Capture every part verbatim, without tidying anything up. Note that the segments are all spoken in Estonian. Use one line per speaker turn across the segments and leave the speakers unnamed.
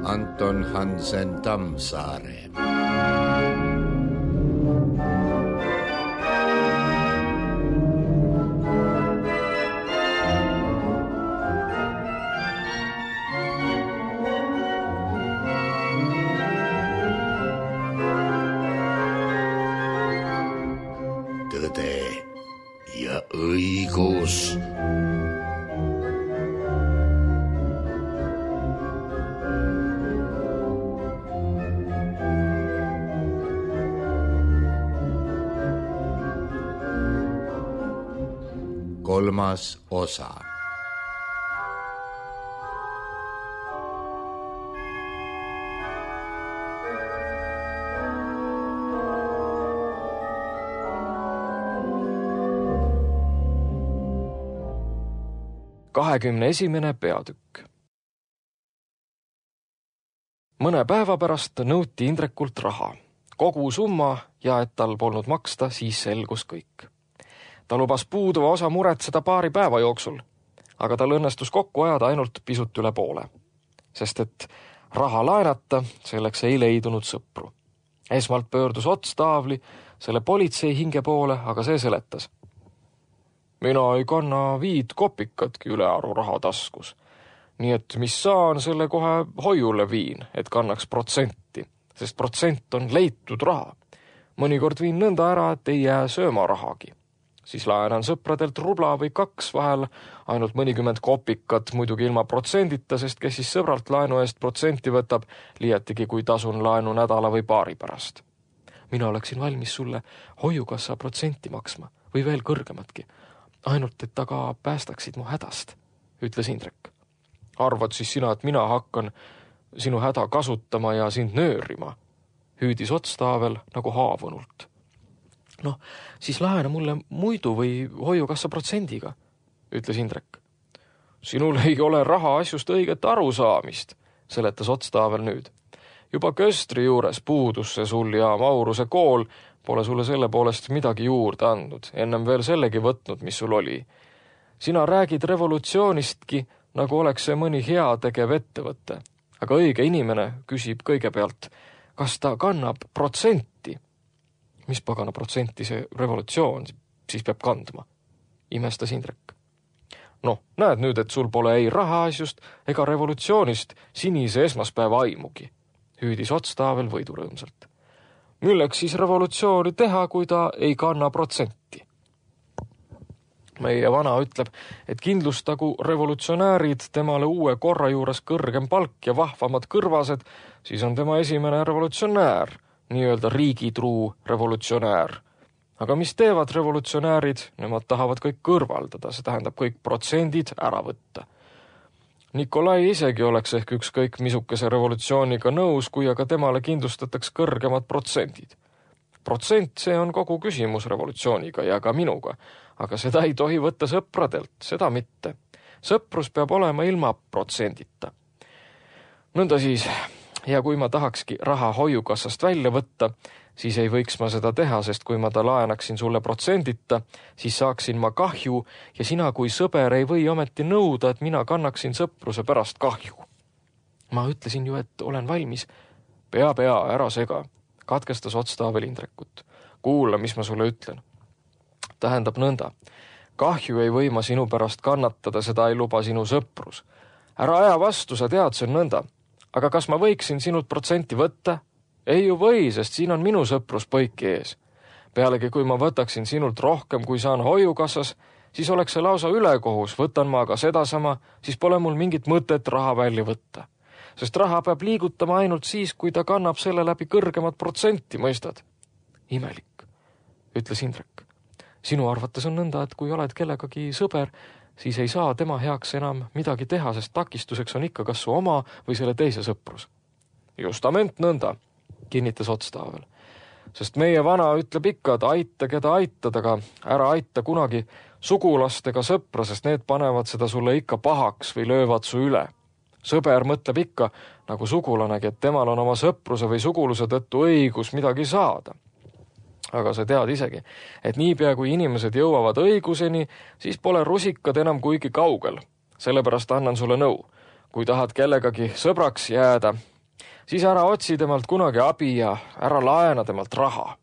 Anton Hansen Tammsaare. Tõde ja õigus. Kolmas osa.
kahekümne esimene peatükk. Mõne päeva pärast nõuti Indrekult raha. Kogu summa ja et tal polnud maksta, siis selgus kõik. Ta lubas puuduva osa muretseda paari päeva jooksul, aga tal õnnestus kokku ajada ainult pisut üle poole. Sest et raha laenata, selleks ei leidunud sõpru. Esmalt pöördus Ots Taavli selle politsei hinge poole, aga see seletas. Mina ei kanna viid kopikatki ülearu raha taskus. Nii et mis saan, selle kohe hoiule viin, et kannaks protsenti, sest protsent on leitud raha. Mõnikord viin nõnda ära, et ei jää sööma rahagi. Siis laenan sõpradelt rubla või kaks vahel ainult mõnikümmend kopikat, muidugi ilma protsendita, sest kes siis sõbralt laenu eest protsenti võtab, liiatigi kui tasun laenu nädala või paari pärast. Mina oleksin valmis sulle hoiukassa protsenti maksma või veel kõrgematki, ainult et taga päästaksid mu hädast, ütles Indrek. Arvad siis sina, et mina hakkan sinu häda kasutama ja sind nöörima, hüüdis Ots Taavel nagu haavunult. Noh, siis laena mulle muidu või hoiukassa protsendiga, ütles Indrek. Sinul ei ole raha asjust õiget arusaamist, seletas Ots Taavel nüüd. Juba Köstri juures puudus see sul ja Mauruse kool pole sulle selle poolest midagi juurde andnud, ennem veel sellegi võtnud, mis sul oli. Sina räägid revolutsioonistki, nagu oleks see mõni hea tegev ettevõte, aga õige inimene küsib kõigepealt, kas ta kannab protsenti. Mis pagana protsenti see revolutsioon siis peab kandma, imestas Indrek. Noh, näed nüüd, et sul pole ei raha asjust ega revolutsioonist sinise esmaspäeva aimugi, hüüdis Ots Taavel võidurõõmsalt. Milleks siis revolutsiooni teha, kui ta ei kanna protsenti? Meie vana ütleb, et kindlustagu revolutsionäärid temale uue korra juures kõrgem palk ja vahvamad kõrvased, siis on tema esimene revolutsionäär, nii-öelda riigitruu revolutsionäär. Aga mis teevad revolutsionäärid? Nemad tahavad kõik kõrvaldada, see tähendab kõik protsendid ära võtta. Nikolai isegi oleks ehk ükskõik misukese revolutsiooniga nõus, kui aga temale kindlustataks kõrgemad protsendid. Protsent, see on kogu küsimus revolutsiooniga ja ka minuga, aga seda ei tohi võtta sõpradelt, seda mitte. Sõprus peab olema ilma protsendita. Nõnda siis, ja kui ma tahakski raha hoiukassast välja võtta, siis ei võiks ma seda teha, sest kui ma ta laenaksin sulle protsendita, siis saaksin ma kahju ja sina kui sõber ei või ometi nõuda, et mina kannaksin sõpruse pärast kahju. Ma ütlesin ju, et olen valmis. Pea, pea, ära sega, katkestas Ots Taavel Indrekut. Kuula, mis ma sulle ütlen. Tähendab nõnda. Kahju ei või ma sinu pärast kannatada, seda ei luba sinu sõprus. Ära aja vastu, sa tead, see on nõnda. Aga kas ma võiksin sinult protsenti võtta? Ei ju või, sest siin on minu sõprus põiki ees. Pealegi, kui ma võtaksin sinult rohkem, kui saan hoiukassas, siis oleks see lausa ülekohus, võtan ma aga sedasama, siis pole mul mingit mõtet raha välja võtta. Sest raha peab liigutama ainult siis, kui ta kannab selle läbi kõrgemat protsenti, mõistad? Imelik, ütles Indrek. Sinu arvates on nõnda, et kui oled kellegagi sõber, siis ei saa tema heaks enam midagi teha, sest takistuseks on ikka kas su oma või selle teise sõprus. Justament nõnda, kinnitas Ots Taavel. Sest meie vana ütleb ikka, et aita, keda aitad, aga ära aita kunagi sugulastega sõpra, sest need panevad seda sulle ikka pahaks või löövad su üle. Sõber mõtleb ikka, nagu sugulanegi, et temal on oma sõpruse või suguluse tõttu õigus midagi saada. Aga sa tead isegi, et niipea kui inimesed jõuavad õiguseni, siis pole rusikad enam kuigi kaugel. Sellepärast annan sulle nõu. Kui tahad kellegagi sõbraks jääda, siis ära otsi temalt kunagi abi ja ära laena temalt raha.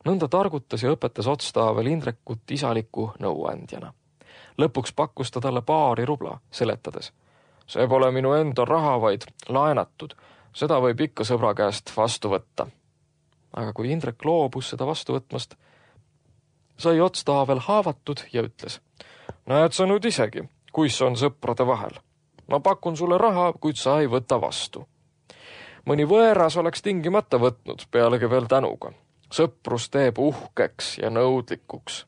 Nõnda targutas ja õpetas Otstaavel Indrekut isaliku nõuandjana. Lõpuks pakkus ta talle paari rubla, seletades. See pole minu enda raha, vaid laenatud. Seda võib ikka sõbra käest vastu võtta. Aga kui Indrek loobus seda vastu võtmast, sai Otstaavel haavatud ja ütles. Näed sa nüüd isegi, kuis on sõprade vahel. Ma pakun sulle raha, kuid sa ei võta vastu. Mõni võeras oleks tingimata võtnud, pealegi veel tänuga. Sõprus teeb uhkeks ja nõudlikuks.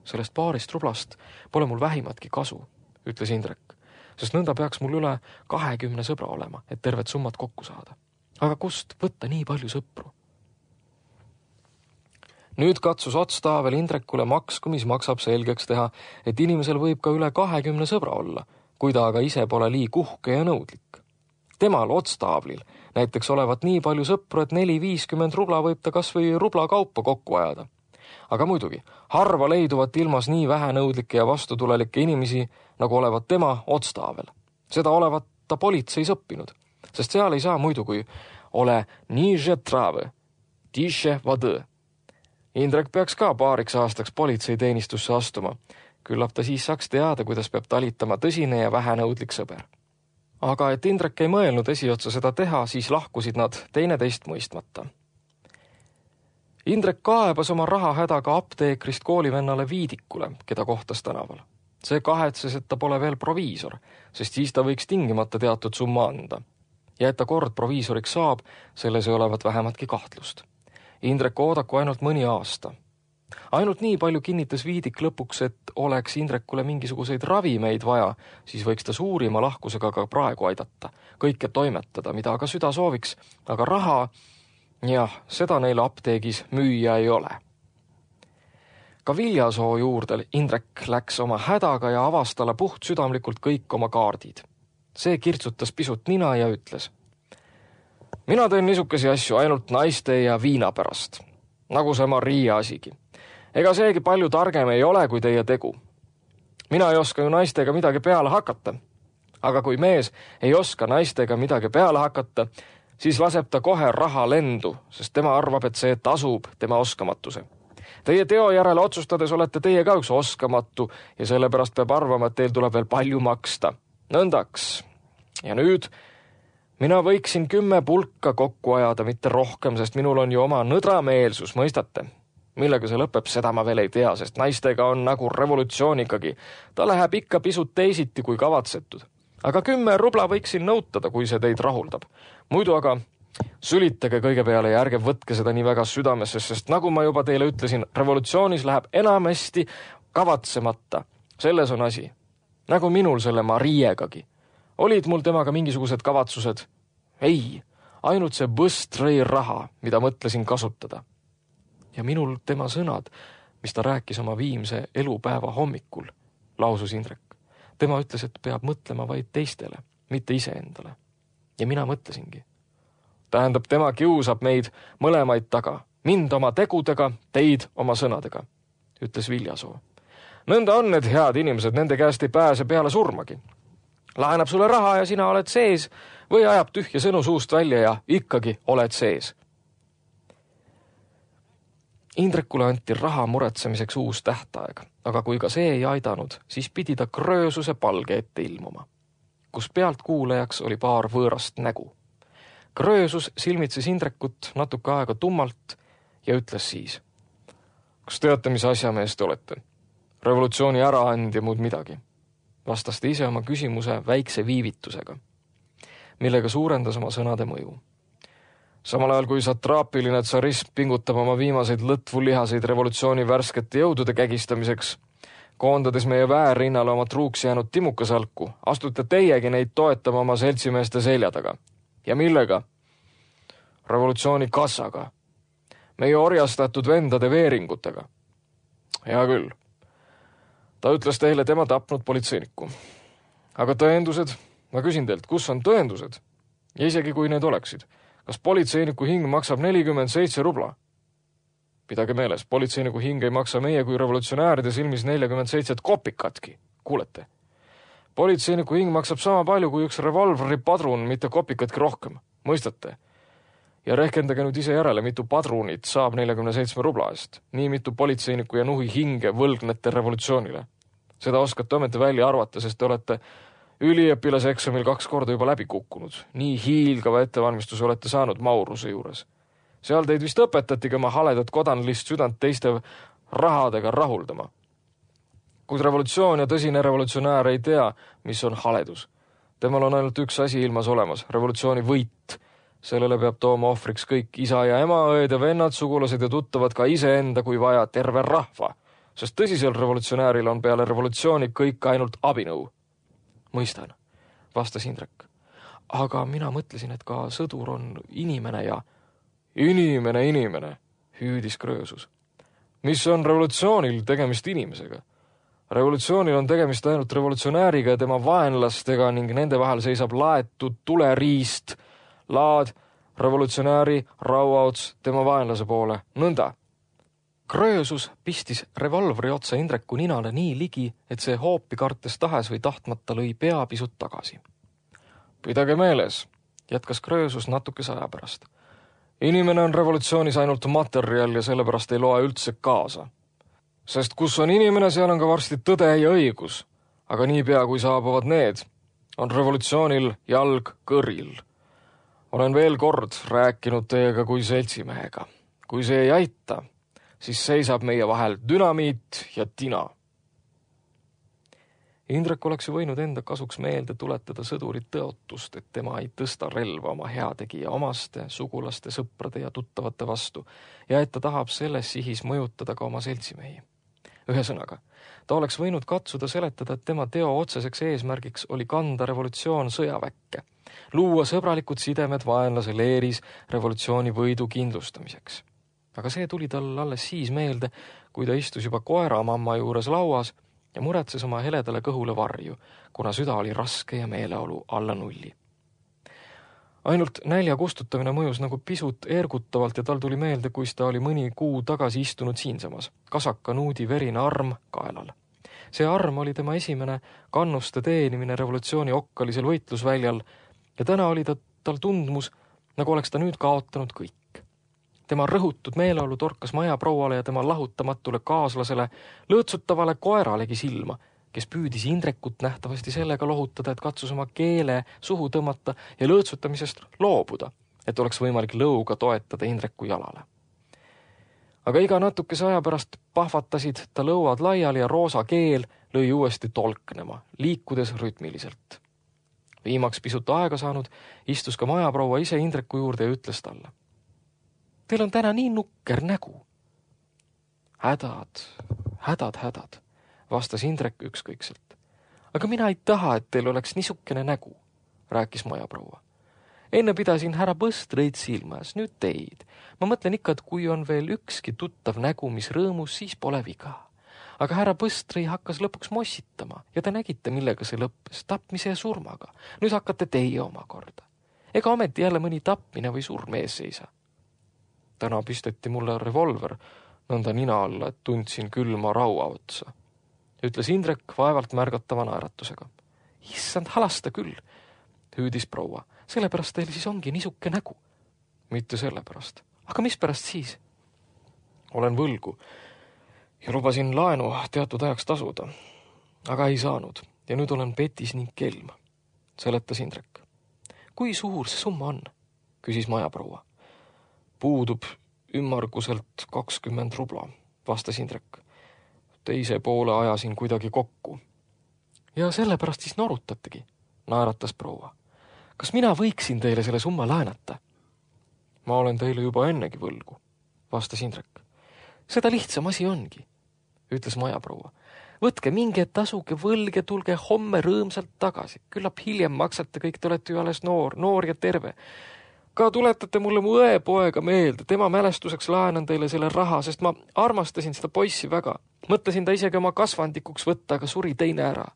Sellest paarist rublast pole mul vähimatki kasu, ütles Indrek, sest nõnda peaks mul üle kahekümne sõbra olema, et tervet summat kokku saada. Aga kust võtta nii palju sõpru? Nüüd katsus Otstaavel Indrekule maksku, mis maksab selgeks teha, et inimesel võib ka üle kahekümne sõbra olla, kui ta aga ise pole liig uhke ja nõudlik. Temal Otstaavlil näiteks olevat nii palju sõpru, et neli viiskümmend rubla võib ta kas või rubla kaupa kokku ajada. Aga muidugi, harva leiduvat ilmas nii vähe nõudlikke ja vastutulelikke inimesi, nagu olevat tema Otstaavel. Seda olevat ta politseis õppinud, sest seal ei saa muidu, kui ole niže trave, tiše vade. Indrek peaks ka paariks aastaks politseiteenistusse astuma. Küllap ta siis saaks teada, kuidas peab talitama tõsine ja vähenõudlik sõber. Aga et Indrek ei mõelnud esiotsa seda teha, siis lahkusid nad teineteist mõistmata. Indrek kaebas oma raha hädaga apteekrist koolivennale Viidikule, keda kohtas tänaval. See kahetses, et ta pole veel proviisor, sest siis ta võiks tingimata teatud summa anda. Ja et ta kord proviisoriks saab, selles ei olevat vähematki kahtlust. Indrek oodaku ainult mõni aasta. Ainult nii palju kinnitas Viidik lõpuks, et oleks Indrekule mingisuguseid ravimeid vaja, siis võiks ta suurima lahkusega ka praegu aidata, kõike toimetada, mida aga süda sooviks, aga raha, jah, seda neil apteegis müüa ei ole. Ka Viljasoo juurde Indrek läks oma hädaga ja avas talle puht südamlikult kõik oma kaardid. See kirtsutas pisut nina ja ütles. Mina teen niisukesi asju ainult naiste ja viina pärast, nagu see Maria asigi. Ega seegi palju targem ei ole kui teie tegu. Mina ei oska ju naistega midagi peale hakata, aga kui mees ei oska naistega midagi peale hakata, siis laseb ta kohe raha lendu, sest tema arvab, et see tasub tema oskamatuse. Teie teo järele otsustades olete teie ka üks oskamatu ja sellepärast peab arvama, et teil tuleb veel palju maksta. Nõndaks. Ja nüüd mina võiksin kümme pulka kokku ajada, mitte rohkem, sest minul on ju oma nõdrameelsus, mõistate? Millega see lõpeb, seda ma veel ei tea, sest naistega on nagu revolutsioonigagi. Ta läheb ikka pisut teisiti kui kavatsetud. Aga kümme rubla võiksin nõutada, kui see teid rahuldab. Muidu aga sülitage kõige peale ja ärge võtke seda nii väga südamesse, sest nagu ma juba teile ütlesin, revolutsioonis läheb enamasti kavatsemata. Selles on asi. Nagu minul selle Mariegagi. Olid mul temaga mingisugused kavatsused? Ei, ainult see Bëstrõi raha, mida mõtlesin kasutada. Ja minul tema sõnad, mis ta rääkis oma viimse elupäeva hommikul, lausus Indrek. Tema ütles, et peab mõtlema vaid teistele, mitte iseendale. Ja mina mõtlesingi. Tähendab, tema kiusab meid mõlemaid taga, mind oma tegudega, teid oma sõnadega, ütles Viljasoo. Nõnda on need head inimesed, nende käest ei pääse peale surmagi. Lahenab sulle raha ja sina oled sees või ajab tühja sõnu suust välja ja ikkagi oled sees. Indrekule anti raha muretsemiseks uus tähtaeg, aga kui ka see ei aidanud, siis pidi ta Kröösuse palge ette ilmuma, kus pealt kuulajaks oli paar võõrast nägu. Kröösus silmitses Indrekut natuke aega tummalt ja ütles siis. Kas teate, mis asjamees te olete? Revolutsiooni äraandja muud midagi. Vastas ta ise oma küsimuse väikse viivitusega, millega suurendas oma sõnade mõju. Samal ajal kui satraapiline tsarism pingutab oma viimaseid lõtvulihaseid revolutsiooni värskete jõudude kägistamiseks, koondades meie väärrinnale oma truuks jäänud timukasalku, astute teiegi neid toetama oma seltsimeeste selja taga. Ja millega? Revolutsiooni kassaga. Meie orjastatud vendade veeringutega. Hea küll. Ta ütles teile tema tapnud politseinikku. Aga tõendused, Ma küsin teilt, kus on tõendused? Ja isegi kui need oleksid, kas politseiniku hing maksab nelikümmend seitse rubla? Pidage meeles, politseiniku hing ei maksa meie kui revolutsionääride silmis nelikümmend seitse kopikatki. Kuulete? Politseiniku hing maksab sama palju kui üks revolvri padrun, mitte kopikatki rohkem. Mõistate? Ja rehkendage nüüd ise järele, mitu padrunit saab nelikümmend seitse rubla eest. Nii mitu politseiniku ja nuhi hinge võlgnete revolutsioonile. Seda oskate ometi välja arvata, sest te olete üliõpilase eksamil kaks korda juba läbi kukkunud. Nii hiilgava ettevalmistuse olete saanud Mauruse juures. Seal teid vist õpetatigi oma haledat kodanlist südant teiste rahadega rahuldama. Kuid revolutsioon ja tõsine revolutsionäär ei tea, mis on haledus. Temal on ainult üks asi ilmas olemas, revolutsiooni võit. Sellele peab tooma ohvriks kõik isa ja ema, õed ja vennad, sugulased ja tuttavad, ka iseenda kui vaja terve rahva. Sest tõsisel revolutsionääril on peale revolutsiooni kõik ainult abinõu. Mõistan, vastas Indrek. Aga mina mõtlesin, et ka sõdur on inimene ja inimene, inimene, hüüdis Kröösus. Mis on revolutsioonil tegemist inimesega? Revolutsioonil on tegemist ainult revolutsionääriga ja tema vaenlastega ning nende vahel seisab laetud tuleriist, laad, revolutsionääri, rauaots tema vaenlase poole. Nõnda. Kröösus pistis revolvri otsa Indreku ninale nii ligi, et see hoopi kartes tahes või tahtmata lõi pea pisut tagasi. Pidage meeles, jätkas Kröösus natukese aja pärast. Inimene on revolutsioonis ainult materjal ja sellepärast ei loe üldse kaasa. Sest kus on inimene, seal on ka varsti tõde ja õigus. Aga niipea kui saabuvad need, on revolutsioonil jalg kõril. Olen veel kord rääkinud teiega kui seltsimehega. Kui see ei aita, siis seisab meie vahel dünamiit ja tina. Indrek oleks võinud enda kasuks meelde tuletada sõdurit tõotust, et tema ei tõsta relva oma heategija omaste, sugulaste, sõprade ja tuttavate vastu ja et ta tahab selles sihis mõjutada ka oma seltsimehi. Ühesõnaga, ta oleks võinud katsuda seletada, et tema teo otseseks eesmärgiks oli kanda revolutsioon sõjaväkke, luua sõbralikud sidemed vaenlase leeris revolutsiooni võidu kindlustamiseks. Aga see tuli tal alles siis meelde, kui ta istus juba koera mamma juures lauas ja muretses oma heledale kõhule varju, kuna süda oli raske ja meeleolu alla nulli. Ainult nälja kustutamine mõjus nagu pisut ergutavalt ja tal tuli meelde, kuis ta oli mõni kuu tagasi istunud siinsamas, kasaka nuudi verine arm kaelal. See arm oli tema esimene kannuste teenimine revolutsiooni okkalisel võitlusväljal ja täna oli ta, tal tundmus, nagu oleks ta nüüd kaotanud kõik. Tema rõhutud meeleolu torkas majaprouale ja tema lahutamatule kaaslasele, lõõtsutavale koeralegi silma, kes püüdis Indrekut nähtavasti sellega lohutada, et katsus oma keele suhu tõmmata ja lõõtsutamisest loobuda, et oleks võimalik lõuga toetada Indreku jalale. Aga iga natukese aja pärast pahvatasid ta lõuad laiali ja roosa keel lõi uuesti tolknema, liikudes rütmiliselt. Viimaks pisut aega saanud, istus ka majaproua ise Indreku juurde ja ütles talle. Teil on täna nii nukker nägu. Hädad, hädad, hädad, vastas Indrek ükskõikselt. Aga mina ei taha, et teil oleks niisukene nägu, rääkis majaproua. Enne pidasin härra Põstreid silmas, nüüd teid. Ma mõtlen ikka, et kui on veel ükski tuttav nägu, mis rõõmus, siis pole viga. Aga härra Põstrei hakkas lõpuks mossitama ja te nägite, millega see lõppes, tapmise ja surmaga. Nüüd hakkate teie oma korda. Ega ometi jälle mõni tapmine või surm ees seisa. Täna pisteti mulle revolver nõnda nina alla, et tundsin külma raua otsa. Ütles Indrek vaevalt märgatava naeratusega. Issand, halasta küll, hüüdis proua. Sellepärast teil siis ongi niisuke nägu. Mitte sellepärast. Aga mis pärast siis? Olen võlgu ja lubasin laenu teatud ajaks tasuda. Aga ei saanud ja nüüd olen petis ning kelm, seletas Indrek. Kui suur see summa on? Küsis majaproua. Puudub ümmarguselt kakskümmend rubla, vastas Indrek. Teise poole ajasin kuidagi kokku. Ja sellepärast siis norutategi, naeratas proua. Kas mina võiksin teile selle summa laenata? Ma olen teile juba ennegi võlgu, vastas Indrek. Seda lihtsam asi ongi, ütles majaproua. Võtke minge tasuge võlg ja tulge homme rõõmsalt tagasi. Küllap hiljem maksate kõik, te olete ju alles noor, noor ja terve. Ka tuletate mulle mu õe poega meelde, tema mälestuseks laenan teile selle raha, sest ma armastasin seda poissi väga. Mõtlesin ta isegi oma kasvandikuks võtta, aga suri teine ära.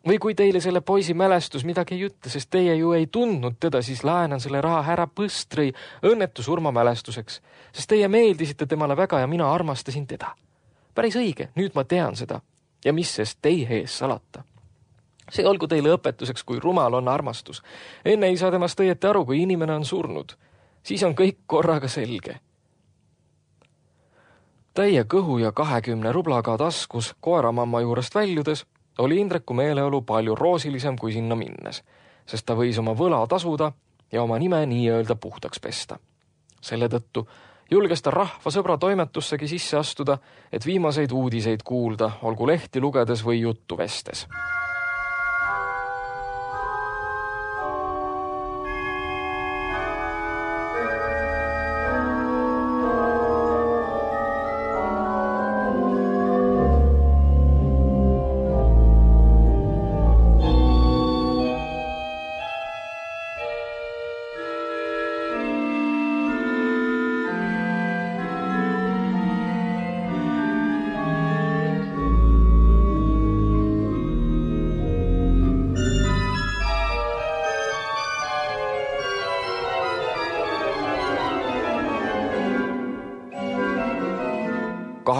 Või kui teile selle poisi mälestus midagi ei ütle, sest teie ju ei tundnud teda, siis laenan selle raha härra Põstri õnnetu surma mälestuseks, sest teie meeldisite temale väga ja mina armastasin teda. Päris õige, nüüd ma tean seda ja mis sest teie ees salata. See olgu teile õpetuseks, kui rumal on armastus. Enne ei saa temast õieti aru, kui inimene on surnud. Siis on kõik korraga selge. Täie kõhu ja kahekümne rublaga taskus koeramamma juurest väljudes oli Indreku meeleolu palju roosilisem kui sinna minnes, sest ta võis oma võla tasuda ja oma nime nii-öelda puhtaks pesta. Selle tõttu julges ta rahva sõbra toimetussegi sisse astuda, et viimaseid uudiseid kuulda, olgu lehti lugedes või juttu vestes.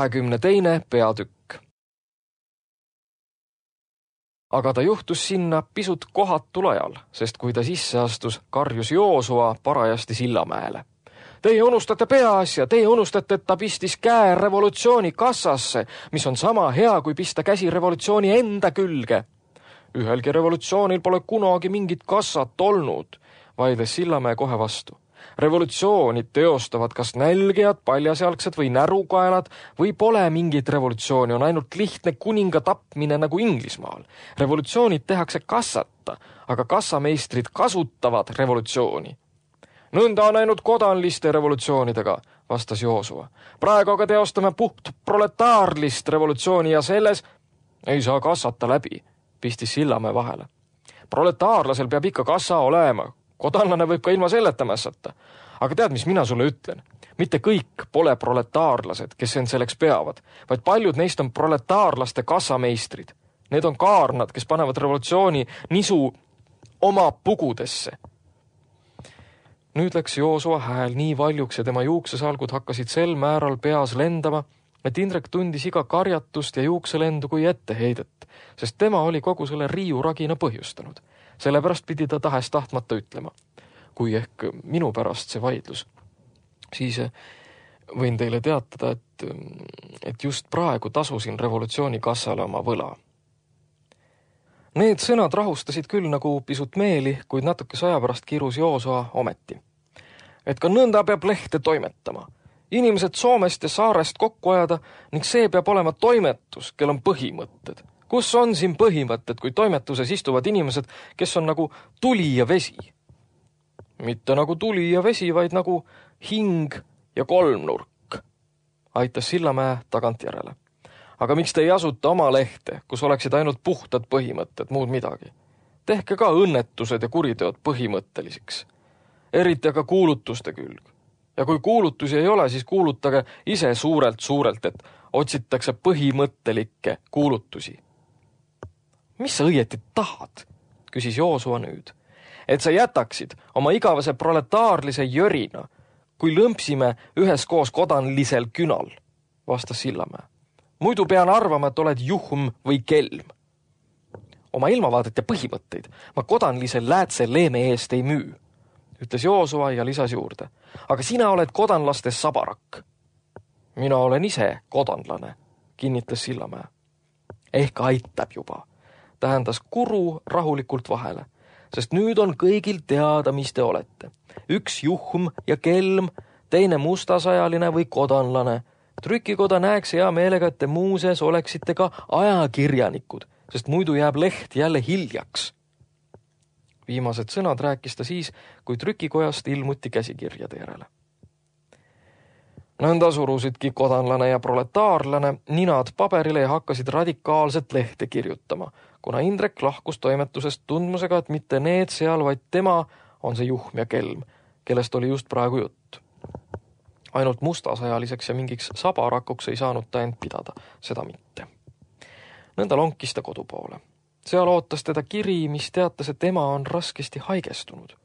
kahekümne teine peatükk. Aga ta juhtus sinna pisut kohatul ajal, sest kui ta sisse astus, karjus Joosua parajasti Sillamäele. Teie unustate peaasja, teie unustate, et ta pistis käe revolutsiooni kassasse, mis on sama hea, kui pista käsi revolutsiooni enda külge. Ühelgi revolutsioonil pole kunagi mingit kassat olnud, vaidles Sillamäe kohe vastu. Revolutsioonid teostavad kas nälgijad, paljasjalgsed või närukaelad või pole mingit revolutsiooni, on ainult lihtne kuninga tapmine nagu Inglismaal. Revolutsioonid tehakse kassata, aga kassameistrid kasutavad revolutsiooni. Nõnda on ainult kodanliste revolutsioonidega, vastas Joosua. Praegu aga teostame puht proletaarlist revolutsiooni ja selles ei saa kassata läbi, pistis Sillamäe vahele. Proletaarlasel peab ikka kassa olema. Kodanlane võib ka ilma selleta mässata. Aga tead, mis mina sulle ütlen? Mitte kõik pole proletaarlased, kes end selleks peavad, vaid paljud neist on proletaarlaste kassameistrid. Need on kaarnad, kes panevad revolutsiooni nisu oma pugudesse. Nüüd läks Joosua hääl nii valjuks ja tema juuksesalgud hakkasid sel määral peas lendama, et Indrek tundis iga karjatust ja juukselendu kui etteheidet, sest tema oli kogu selle riiuragina põhjustanud. Sellepärast pidi ta tahes tahtmata ütlema. Kui ehk minu pärast see vaidlus, siis võin teile teatada, et, et just praegu tasusin revolutsiooni kassale oma võla. Need sõnad rahustasid küll nagu pisut meeli, kuid natuke saja pärast kirus Joosua ometi. Et ka nõnda peab lehte toimetama. Inimesed Soomest ja saarest kokku ajada ning see peab olema toimetus, kel on põhimõtted. Kus on siin põhimõtted, kui toimetuses istuvad inimesed, kes on nagu tuli ja vesi? Mitte nagu tuli ja vesi, vaid nagu hing ja kolmnurk, aitas Sillamäe tagant järele. Aga miks te ei asuta oma lehte, kus oleksid ainult puhtad põhimõtted, muud midagi? Tehke ka õnnetused ja kuriteod põhimõtteliseks. Eriti aga kuulutuste külg. Ja kui kuulutusi ei ole, siis kuulutage ise suurelt-suurelt, et otsitakse põhimõttelikke kuulutusi. Mis sa õieti tahad, küsis Joosua nüüd, et sa jätaksid oma igavese proletaarlise jörina, kui lõmpsime üheskoos kodanlisel künal, vastas Sillamäe. Muidu pean arvama, et oled juhm või kelm. Oma ilmavaadet ja põhimõtteid ma kodanlisel läätse leeme eest ei müü, ütles Joosua ja lisas juurde. Aga sina oled kodanlaste sabarak. Mina olen ise kodanlane, kinnitas Sillamäe. Ehk aitab juba. Tähendas kuru rahulikult vahele, sest nüüd on kõigil teada, mis te olete. Üks juhm ja kelm, teine mustasajaline või kodanlane. Trükikoda näeks hea meelega, et te muuseas oleksite ka ajakirjanikud, sest muidu jääb leht jälle hiljaks. Viimased sõnad rääkis ta siis, kui trükikojast ilmuti käsikirjade järele. Nõnda surusidki kodanlane ja proletaarlane ninad paberile ja hakkasid radikaalset lehte kirjutama, kuna Indrek lahkus toimetusest tundmusega, et mitte need seal, vaid tema on see juhm ja kelm, kellest oli just praegu jutt. Ainult mustasajaliseks ja mingiks sabarakuks ei saanud ta end pidada, seda mitte. Nõnda lonkis ta kodu poole. Seal ootas teda kiri, mis teatas, et ema on raskesti haigestunud.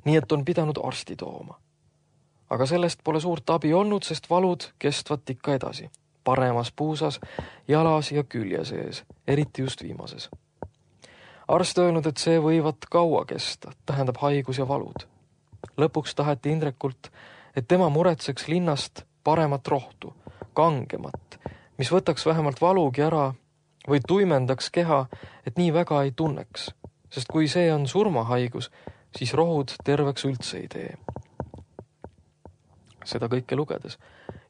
Nii et on pidanud arsti tooma. Aga sellest pole suurt abi olnud, sest valud kestvat ikka edasi. Paremas puusas, jalas ja külje sees, eriti just viimases. Arst öelnud, et see võivad kaua kesta, tähendab haigus ja valud. Lõpuks taheti Indrekult, et tema muretseks linnast paremat rohtu, kangemat, mis võtaks vähemalt valugi ära või tuimendaks keha, et nii väga ei tunneks, sest kui see on surmahaigus, siis rohud terveks üldse ei tee. Seda kõike lugedes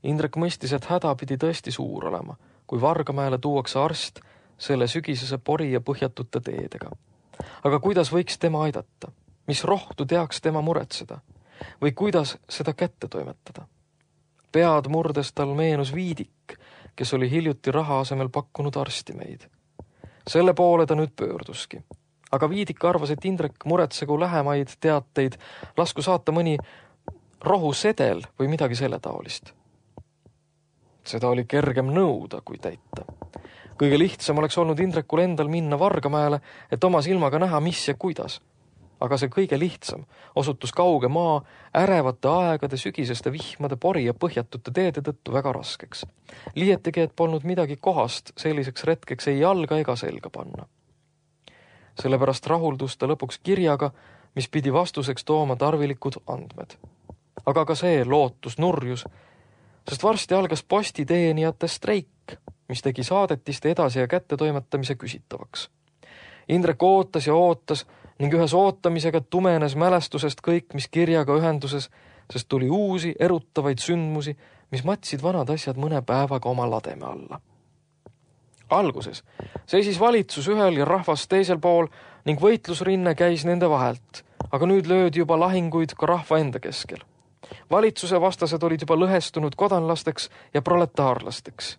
Indrek mõistis, et häda pidi tõesti suur olema, kui Vargamäele tuuakse arst selle sügisese pori ja põhjatute teedega. Aga kuidas võiks tema aidata? Mis rohtu teaks tema muretseda? Või kuidas seda kätte toimetada? Pead murdes tal meenus Viidik, kes oli hiljuti raha asemel pakkunud arstimeid. Selle poole ta nüüd pöörduski. Aga Viidik arvas, et Indrek muretsegu lähemaid teateid, lasku saata mõni rohusedel või midagi selle taolist. Seda oli kergem nõuda kui täita. Kõige lihtsam oleks olnud Indrekul endal minna Vargamäele, et oma silmaga näha, mis ja kuidas. Aga see kõige lihtsam osutus kauge maa ärevate aegade sügiseste vihmade pori ja põhjatute teede tõttu väga raskeks. Liietigi, et polnud midagi kohast selliseks retkeks ei jalga ega selga panna. Sellepärast rahuldus ta lõpuks kirjaga, mis pidi vastuseks tooma tarvilikud andmed. Aga ka see lootus nurjus, sest varsti algas postiteenijate streik, mis tegi saadetiste edasi ja kätte toimetamise küsitavaks. Indrek ootas ja ootas ning ühes ootamisega tumenes mälestusest kõik, mis kirjaga ühenduses, sest tuli uusi erutavaid sündmusi, mis matsid vanad asjad mõne päevaga oma lademe alla. Alguses seisis valitsus ühel ja rahvas teisel pool ning võitlusrinne käis nende vahelt, aga nüüd löödi juba lahinguid ka rahva enda keskel. Valitsuse vastased olid juba lõhestunud kodanlasteks ja proletaarlasteks.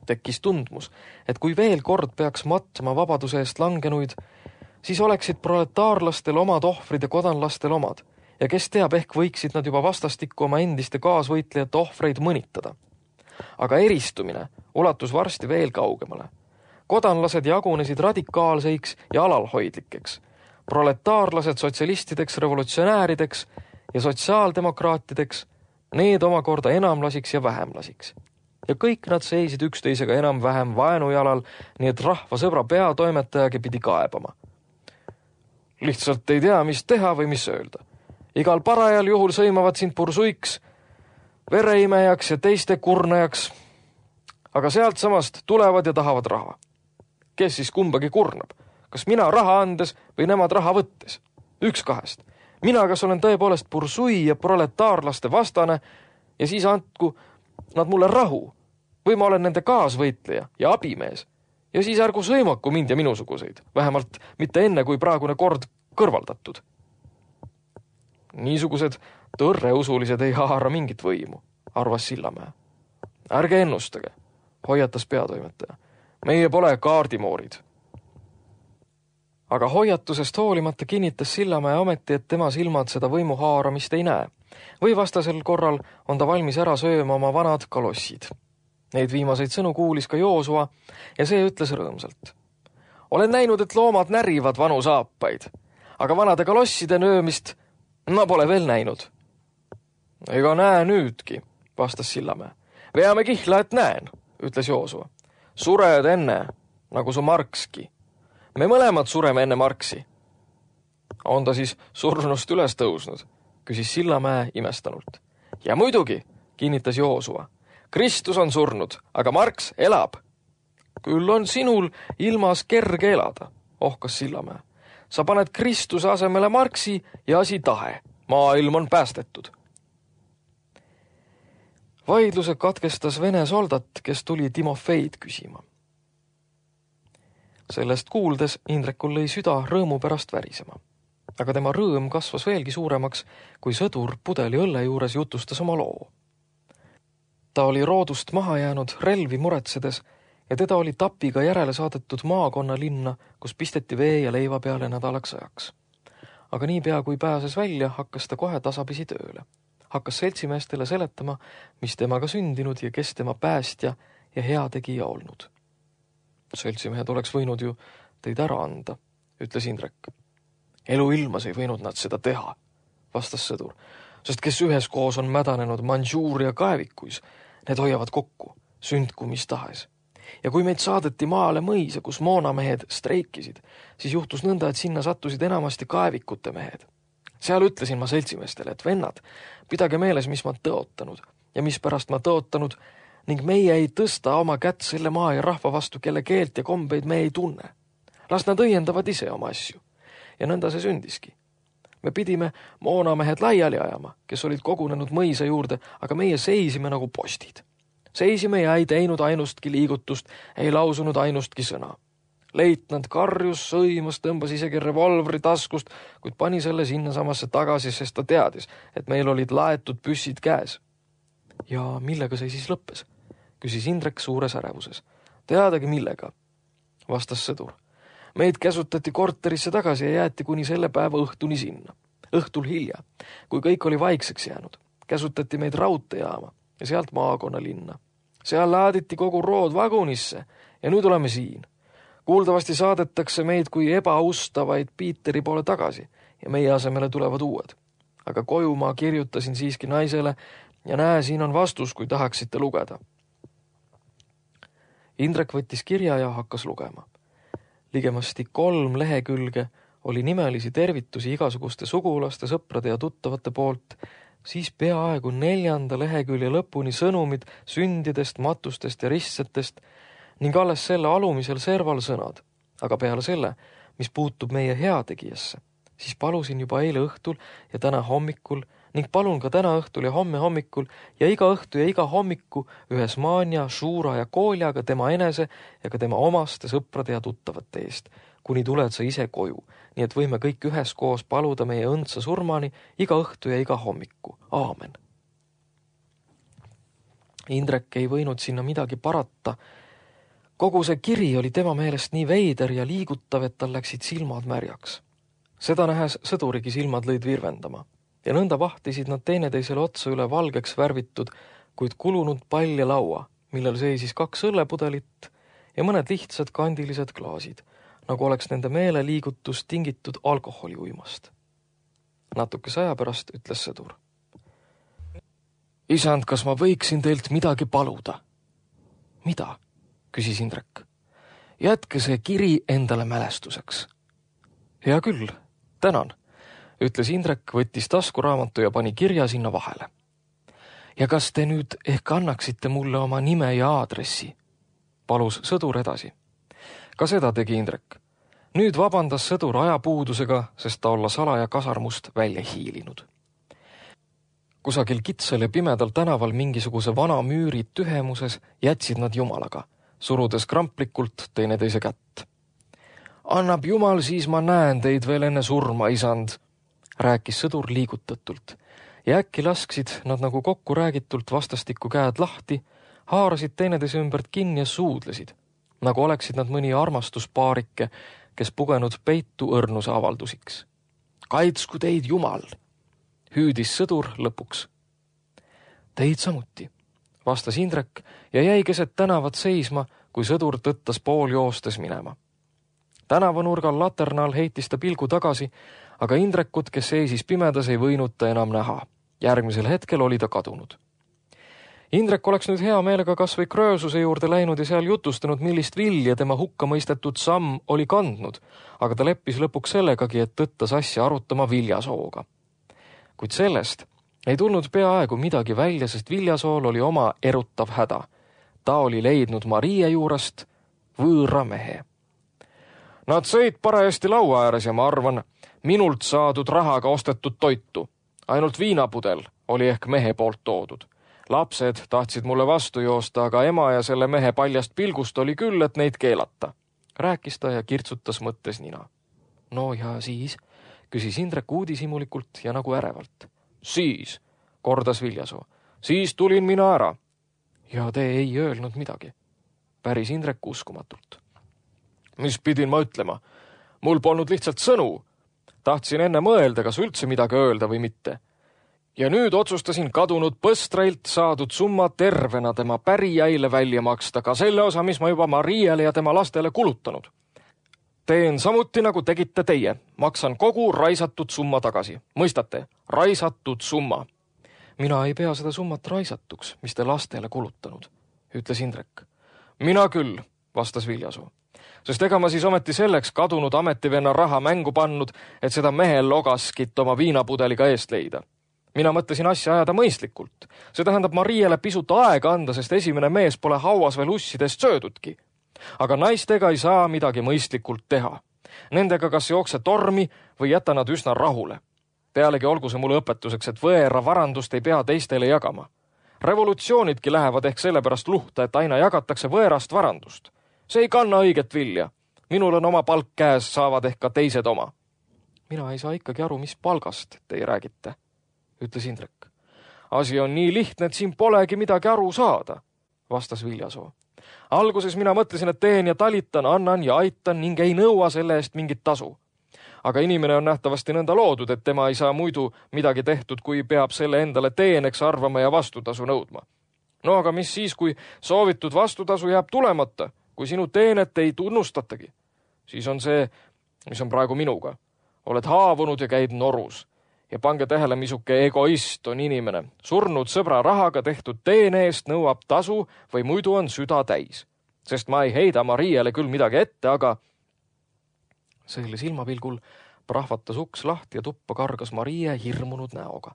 Tekkis tundmus, et kui veel kord peaks matma vabaduse eest langenuid, siis oleksid proletaarlastel omad ohvrid ja kodanlastel omad, ja kes teab, ehk võiksid nad juba vastastikku oma endiste kaasvõitlejate ohvreid mõnitada. Aga eristumine ulatus varsti veel kaugemale. Kodanlased jagunesid radikaalseiks ja alalhoidlikeks, proletaarlased sotsialistideks, revolutsionäärideks ja sotsiaaldemokraatideks, need omakorda enamlasiks ja vähemlasiks. Ja kõik nad seisid üksteisega enam-vähem vaenujalal, nii et rahva sõbra peatoimetajagi pidi kaebama. Lihtsalt ei tea, mis teha või mis öelda. Igal parajal juhul sõimavad sind pursuiks, vereimejaks ja teiste kurnajaks, aga sealt samast tulevad ja tahavad raha. Kes siis kumbagi kurnab? Kas mina raha andes või nemad raha võttes? Üks kahest. Mina kas olen tõepoolest pursui ja proletaarlaste vastane ja siis andku nad mulle rahu või ma olen nende kaasvõitleja ja abimees ja siis ärgu sõimaku mind ja minusuguseid, vähemalt mitte enne, kui praegune kord kõrvaldatud. Niisugused tõrreusulised ei haara mingit võimu, arvas Sillamäe. Ärge ennustage, hoiatas peatoimetaja. Meie pole kaardimoorid. Aga hoiatusest hoolimata kinnitas Sillamäe ometi, et tema silmad seda võimu haaramist ei näe. Või vastasel korral on ta valmis ära sööma oma vanad kalossid. Neid viimaseid sõnu kuulis ka Joosua ja see ütles rõõmsalt. Olen näinud, et loomad närivad vanu saapaid, aga vanade kalosside nöömist ma pole veel näinud. Ega näe nüüdki, vastas Sillamäe. Veame kihla, et näen, ütles Joosua. Sured enne, nagu su Markski. Me mõlemad sureme enne Marksi. On ta siis surnust üles tõusnud, küsis Sillamäe imestanult. Ja muidugi, kinnitas Joosua. Kristus on surnud, aga Marks elab. Küll on sinul ilmas kerge elada, ohkas Sillamäe. Sa paned Kristuse asemele Marksi ja asi tahe. Maailm on päästetud. Vaidluse katkestas vene soldat, kes tuli Timofeid küsima. Sellest kuuldes Indrekul lõi süda rõõmu pärast värisema. Aga tema rõõm kasvas veelgi suuremaks, kui sõdur pudeli õlle juures jutustas oma loo. Ta oli roodust maha jäänud relvi muretsedes ja teda oli tapiga järele saadetud maakonna linna, kus pisteti vee ja leiva peale nädalaks ajaks. Aga niipea kui pääses välja, hakkas ta kohe tasapisi tööle. Hakkas seltsimeestele seletama, mis temaga sündinud ja kes tema päästja ja heategija olnud. Seltsimehed oleks võinud ju teid ära anda, ütles Indrek. Elu ilmas ei võinud nad seda teha, vastas sõdur, sest kes üheskoos on mädanenud Mandžuuria kaevikuis, need hoiavad kokku, sündku mis tahes. Ja kui meid saadeti maale mõisa, kus moonamehed streikisid, siis juhtus nõnda, et sinna sattusid enamasti kaevikute mehed. Seal ütlesin ma seltsimeestele, et vennad, pidage meeles, mis ma tõotanud ja mis pärast ma tõotanud ning meie ei tõsta oma kätt selle maa ja rahva vastu, kelle keelt ja kombeid me ei tunne. Las nad õiendavad ise oma asju. Ja nõnda see sündiski. Me pidime moonamehed laiali ajama, kes olid kogunenud mõisa juurde, aga meie seisime nagu postid. Seisime ja ei teinud ainustki liigutust, ei lausunud ainustki sõna. Leitnant karjus, sõimas, tõmbas isegi revolvri taskust, kuid pani selle sinna samasse tagasi, sest ta teadis, et meil olid laetud püssid käes. Ja millega see siis lõppes? Küsis Indrek suures ärevuses. Teadagi millega, vastas sõdur. Meid käsutati korterisse tagasi ja jäeti kuni selle päeva õhtuni sinna. Õhtul hilja, kui kõik oli vaikseks jäänud, käsutati meid raudteejaama ja sealt maakonna linna. Seal laaditi kogu rood vagunisse ja nüüd oleme siin. Kuuldavasti saadetakse meid kui ebaustavaid Piiteri poole tagasi ja meie asemele tulevad uued. Aga koju ma kirjutasin siiski naisele ja näe, siin on vastus, kui tahaksite lugeda. Indrek võttis kirja ja hakkas lugema. Ligemasti kolm lehekülge oli nimelisi tervitusi igasuguste sugulaste, sõprade ja tuttavate poolt, siis peaaegu neljanda lehekülje lõpuni sõnumid sündidest, matustest ja ristsetest ning alles selle alumisel serval sõnad. Aga peale selle, mis puutub meie heategijasse, siis palusin juba eile õhtul ja täna hommikul ning palun ka täna õhtul ja homme hommikul ja iga õhtu ja iga hommiku ühes Maanja, Šuura ja Kooljaga tema enese ja ka tema omaste sõprade ja tuttavate eest, kuni tuled sa ise koju, nii et võime kõik üheskoos paluda meie õndsa surmani iga õhtu ja iga hommiku. Aamen. Indrek ei võinud sinna midagi parata. Kogu see kiri oli tema meelest nii veider ja liigutav, et tal läksid silmad märjaks. Seda nähes sõdurigi silmad lõid virvendama ja nõnda vahtisid nad teineteisele otsa üle valgeks värvitud, kuid kulunud palja laua, millel seisis kaks õllepudelit ja mõned lihtsad kandilised klaasid, nagu oleks nende meeleliigutus tingitud alkoholiuimast. Natukese aja pärast ütles sõdur. Isand, kas ma võiksin teilt midagi paluda? Mida? Küsis Indrek. Jätke see kiri endale mälestuseks. Hea küll, tänan, ütles Indrek, võttis taskuraamatu ja pani kirja sinna vahele. Ja kas te nüüd ehk annaksite mulle oma nime ja aadressi? Palus sõdur edasi. Ka seda tegi Indrek. Nüüd vabandas sõdur ajapuudusega, sest ta olla salaja kasarmust välja hiilinud. Kusagil kitsal ja pimedal tänaval mingisuguse vana müüri tühemuses jätsid nad jumalaga, surudes kramplikult teineteise kätt. Annab jumal, siis ma näen teid veel enne surma, isand, rääkis sõdur liigutatult ja äkki lasksid nad nagu kokku räägitult vastastikku käed lahti, haarasid teineteise ümbert kinni ja suudlesid, nagu oleksid nad mõni armastuspaarike, kes pugenud peitu õrnuse avaldusiks. Kaitsku teid jumal, hüüdis sõdur lõpuks. Teid samuti, vastas Indrek ja jäi keset tänavat seisma, kui sõdur tõttas pool joostes minema. Tänavanurgal laternal heitis ta pilgu tagasi, aga Indrekut, kes seisis pimedas, ei võinud ta enam näha. Järgmisel hetkel oli ta kadunud. Indrek oleks nüüd hea meelega kas või Kröösuse juurde läinud ja seal jutustanud, millist vilja tema hukka mõistetud samm oli kandnud, aga ta leppis lõpuks sellegagi, et tõttas asja arutama Viljasooga. Kuid sellest ei tulnud peaaegu midagi välja, sest Viljasool oli oma erutav häda. Ta oli leidnud Marie juurest võõra mehe. Nad sõid parajasti laua ääres ja ma arvan, minult saadud rahaga ostetud toitu. Ainult viinapudel oli ehk mehe poolt toodud. Lapsed tahtsid mulle vastu joosta, aga ema ja selle mehe paljast pilgust oli küll, et neid keelata. Rääkis ta ja kirtsutas mõttes nina. No ja siis, küsis Indrek uudishimulikult ja nagu ärevalt. Siis, kordas Viljasoo, siis tulin mina ära. Ja te ei öelnud midagi. Päris Indrek uskumatult. Mis pidin ma ütlema? Mul polnud lihtsalt sõnu. Tahtsin enne mõelda, kas üldse midagi öelda või mitte. Ja nüüd otsustasin kadunud põstrailt saadud summa tervena tema pärijaile välja maksta, ka selle osa, mis ma juba Mariale ja tema lastele kulutanud. Teen samuti, nagu tegite teie. Maksan kogu raisatud summa tagasi. Mõistate? Raisatud summa. Mina ei pea seda summat raisatuks, mis te lastele kulutanud, ütles Indrek. Mina küll, vastas Viljasoo. Sest ega ma siis ometi selleks kadunud ametivenna raha mängu pannud, et seda mehel logaskit oma viinapudeliga eest leida. Mina mõtlesin asja ajada mõistlikult. See tähendab Mariele pisut aega anda, sest esimene mees pole hauas veel ussidest söödudki. Aga naistega ei saa midagi mõistlikult teha. Nendega kas jookse tormi või jäta nad üsna rahule. Pealegi olgu see mulle õpetuseks, et võõra varandust ei pea teistele jagama. Revolutsioonidki lähevad ehk sellepärast luhta, et aina jagatakse võõrast varandust. See ei kanna õiget vilja. Minul on oma palk käes, saavad ehk ka teised oma. Mina ei saa ikkagi aru, mis palgast te räägite, ütles Indrek. Asi on nii lihtne, et siin polegi midagi aru saada, vastas Viljasoo. Alguses mina mõtlesin, et teen ja talitan, annan ja aitan ning ei nõua selle eest mingit tasu. Aga inimene on nähtavasti nõnda loodud, et tema ei saa muidu midagi tehtud, kui peab selle endale teeneks arvama ja vastutasu nõudma. No aga mis siis, kui soovitud vastutasu jääb tulemata, kui sinu teenet ei tunnustatagi? Siis on see, mis on praegu minuga. Oled haavunud ja käid norus. Ja pange tähele, misuke egoist on inimene. Surnud sõbra rahaga tehtud teene eest nõuab tasu või muidu on süda täis. Sest ma ei heida Mariele küll midagi ette, aga selle silmapilgul prahvatas uks lahti ja tuppa kargas Marie hirmunud näoga.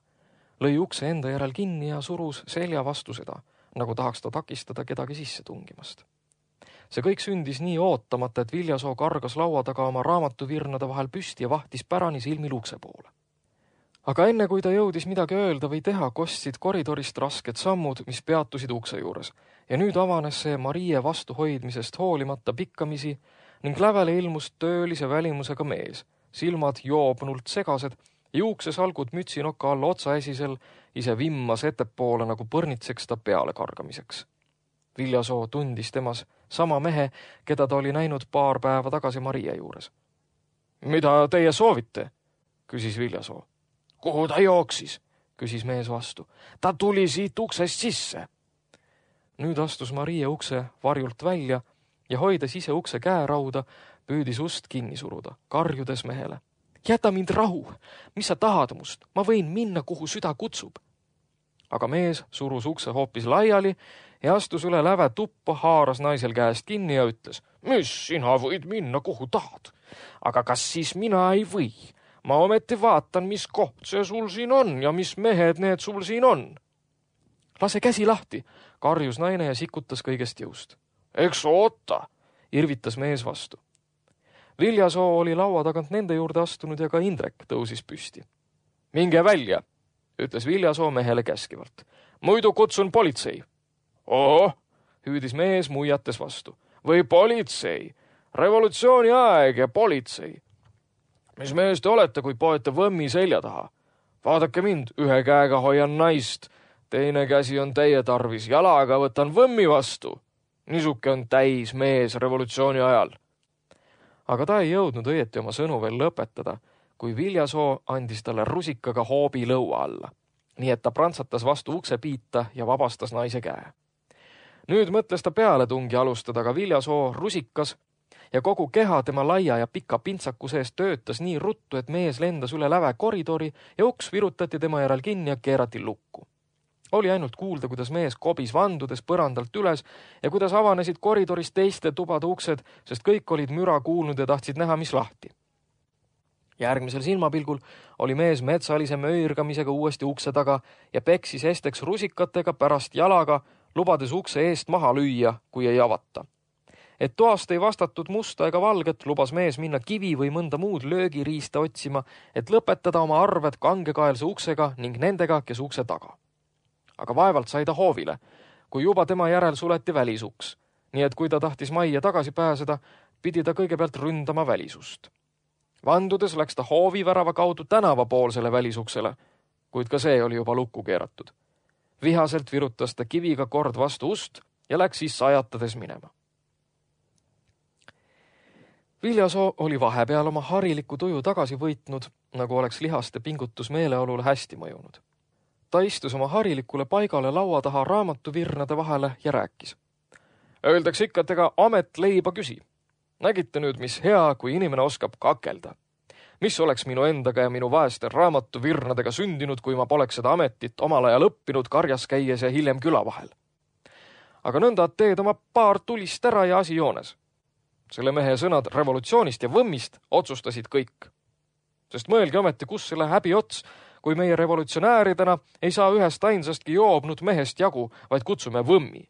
Lõi ukse enda järel kinni ja surus selja vastu seda, nagu tahaks ta takistada kedagi sisse tungimast. See kõik sündis nii ootamata, et Viljasoo kargas laua taga oma raamatuvirnade vahel püsti ja vahtis pärani silmil ukse poole. Aga enne kui ta jõudis midagi öelda või teha, kostsid koridorist rasked sammud, mis peatusid ukse juures. Ja nüüd avanes see Marie vastuhoidmisest hoolimata pikkamisi ning lävele ilmus töölise välimusega mees, silmad joobnult segased, juuksesalgud mütsinoka all otsaesisel, ise vimmas ettepoole nagu põrnitseks ta peale kargamiseks. Viljasoo tundis temas sama mehe, keda ta oli näinud paar päeva tagasi Marie juures. Mida teie soovite? Küsis Viljasoo. Kuhu ta jooksis? Küsis mees vastu. Ta tuli siit uksest sisse. Nüüd astus Marie ukse varjult välja ja hoides ise ukse käerauda, püüdis ust kinni suruda, karjudes mehele. Jäta mind rahu, mis sa tahad must, ma võin minna, kuhu süda kutsub. Aga mees surus ukse hoopis laiali ja astus üle läve tuppa, haaras naisel käest kinni ja ütles, mis sina võid minna, kuhu tahad, aga kas siis mina ei või? Ma ometi vaatan, mis koht see sul siin on ja mis mehed need sul siin on. Lase käsi lahti, karjus naine ja sikutas kõigest jõust. Eks oota, irvitas mees vastu. Viljasoo oli laua tagant nende juurde astunud ja ka Indrek tõusis püsti. Minge välja, ütles Viljasoo mehele käskivalt. Muidu kutsun politsei. Oo, hüüdis mees muiates vastu. Või politsei, revolutsiooni aeg ja politsei. Mis mees te olete, kui poete võmmi selja taha? Vaadake mind, ühe käega hoian naist, teine käsi on teie tarvis, jalaga võtan võmmi vastu. Niisuke on täis mees revolutsiooni ajal. Aga ta ei jõudnud õieti oma sõnu veel lõpetada, kui Viljasoo andis talle rusikaga hoobi lõua alla. Nii et ta prantsatas vastu ukse piita ja vabastas naise käe. Nüüd mõtles ta peale tungi alustada, aga Viljasoo rusikas ja kogu keha tema laia ja pika pintsaku sees töötas nii ruttu, et mees lendas üle läve koridori ja uks virutati tema järel kinni ja keerati lukku. Oli ainult kuulda, kuidas mees kobis vandudes põrandalt üles ja kuidas avanesid koridoris teiste tubade uksed, sest kõik olid müra kuulnud ja tahtsid näha, mis lahti. Järgmisel silmapilgul oli mees metsalise möirgamisega uuesti ukse taga ja peksis esteks rusikatega pärast jalaga, lubades ukse eest maha lüüa, kui ei avata. Et toast ei vastatud musta ega valget, lubas mees minna kivi või mõnda muud löögiriista otsima, et lõpetada oma arved kangekaelse uksega ning nendega, kes ukse taga. Aga vaevalt sai ta hoovile, kui juba tema järel suleti välisuks. Nii et kui ta tahtis majja tagasi pääseda, pidi ta kõigepealt ründama välisust. Vandudes läks ta hoovivärava kaudu tänavapoolsele välisuksele, kuid ka see oli juba lukku keeratud. Vihaselt virutas ta kiviga kord vastu ust ja läks siis sajatades minema. Viljasoo oli vahepeal oma hariliku tuju tagasi võitnud, nagu oleks lihaste pingutus meeleolule hästi mõjunud. ta istus oma harilikule paigale laua taha raamatuvirnade vahele ja rääkis. Öeldakse ikka, et ega amet leiba küsi. Nägite nüüd, mis hea, kui inimene oskab kakelda. Mis oleks minu endaga ja minu vaeste raamatuvirnadega sündinud, kui ma poleks seda ametit omal ajal õppinud karjas käies ja hiljem küla vahel. Aga nõnda teed oma paar tulist ära ja asi joones. Selle mehe sõnad revolutsioonist ja võmmist otsustasid kõik. Sest mõelge ometi, kus selle häbi ots, kui meie revolutsionääridena ei saa ühest ainsastki joobnud mehest jagu, vaid kutsume võmmi.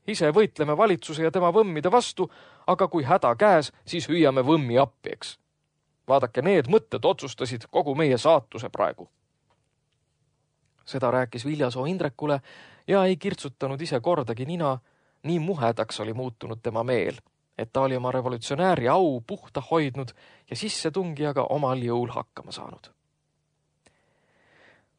Ise võitleme valitsuse ja tema võmmide vastu, aga kui häda käes, siis hüüame võmmi appi, eks. Vaadake, need mõtted otsustasid kogu meie saatuse praegu. Seda rääkis Viljasoo Indrekule ja ei kirtsutanud ise kordagi nina, nii muhedaks oli muutunud tema meel, et ta oli oma revolutsionääri au puhta hoidnud ja sissetungijaga omal jõul hakkama saanud.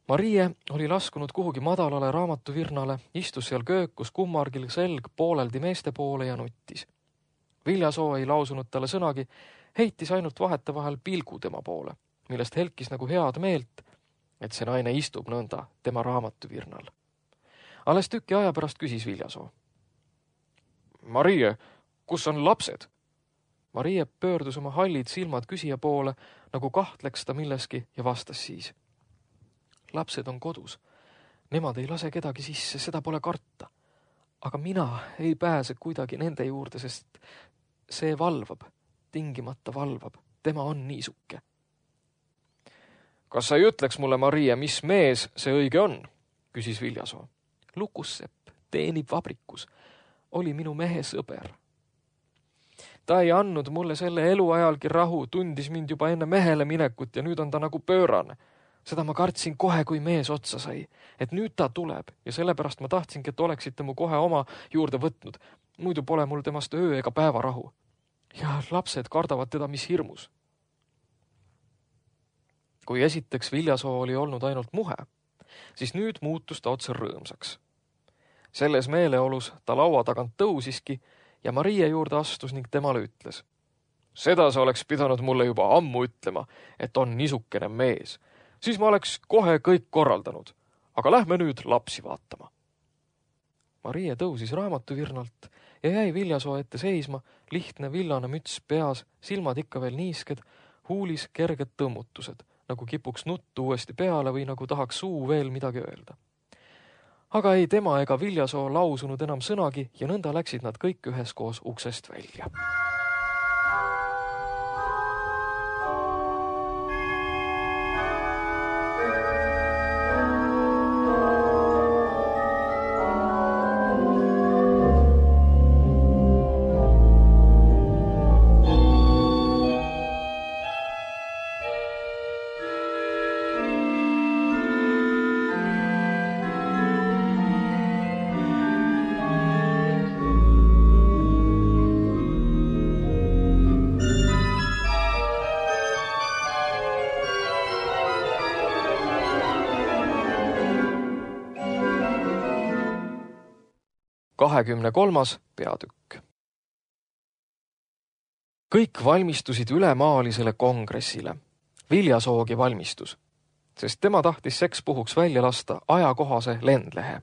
Marie oli laskunud kuhugi madalale raamatuvirnale, istus seal köökus kummargil selg pooleldi meeste poole ja nuttis. Viljasoo ei lausunud talle sõnagi, heitis ainult vahete vahel pilgu tema poole, millest helkis nagu head meelt, et see naine istub nõnda tema raamatuvirnal. Alles tüki aja pärast küsis Viljasoo. Marie, kus on lapsed? Marie pöördus oma hallid silmad küsija poole, nagu kahtleks ta milleski ja vastas siis. Lapsed on kodus. Nemad ei lase kedagi sisse, seda pole karta. Aga mina ei pääse kuidagi nende juurde, sest see valvab, tingimata valvab. Tema on niisuke. Kas sa ei ütleks mulle, Marie, mis mees see õige on? Küsis Viljasoo. Lukussepp, teenib vabrikus. Oli minu mehe sõber. Ta ei andnud mulle selle eluajalgi rahu, tundis mind juba enne mehele minekut ja nüüd on ta nagu pöörane. Seda ma kartsin kohe, kui mees otsa sai, et nüüd ta tuleb ja sellepärast ma tahtsingi, et oleksite mu kohe oma juurde võtnud. Muidu pole mul temast öö ega päeva rahu. Ja lapsed kardavad teda mis hirmus. Kui esiteks Viljasoo oli olnud ainult muhe, siis nüüd muutus ta otse rõõmsaks. Selles meeleolus ta laua tagant tõusiski ja Marie juurde astus ning temale ütles. Seda sa oleks pidanud mulle juba ammu ütlema, et on niisukene mees. Siis ma oleks kohe kõik korraldanud, aga lähme nüüd lapsi vaatama. Marie tõusis raamatuvirnalt ja jäi Viljasoo ette seisma, lihtne villane müts peas, silmad ikka veel niisked, huulis kerged tõmmutused, nagu kipuks nuttu uuesti peale või nagu tahaks suu veel midagi öelda. Aga ei tema ega Viljasoo lausunud enam sõnagi ja nõnda läksid nad kõik üheskoos uksest välja. kahekümne kolmas peatükk. Kõik valmistusid ülemaalisele kongressile. Viljasoogi valmistus, sest tema tahtis seks puhuks välja lasta ajakohase lendlehe.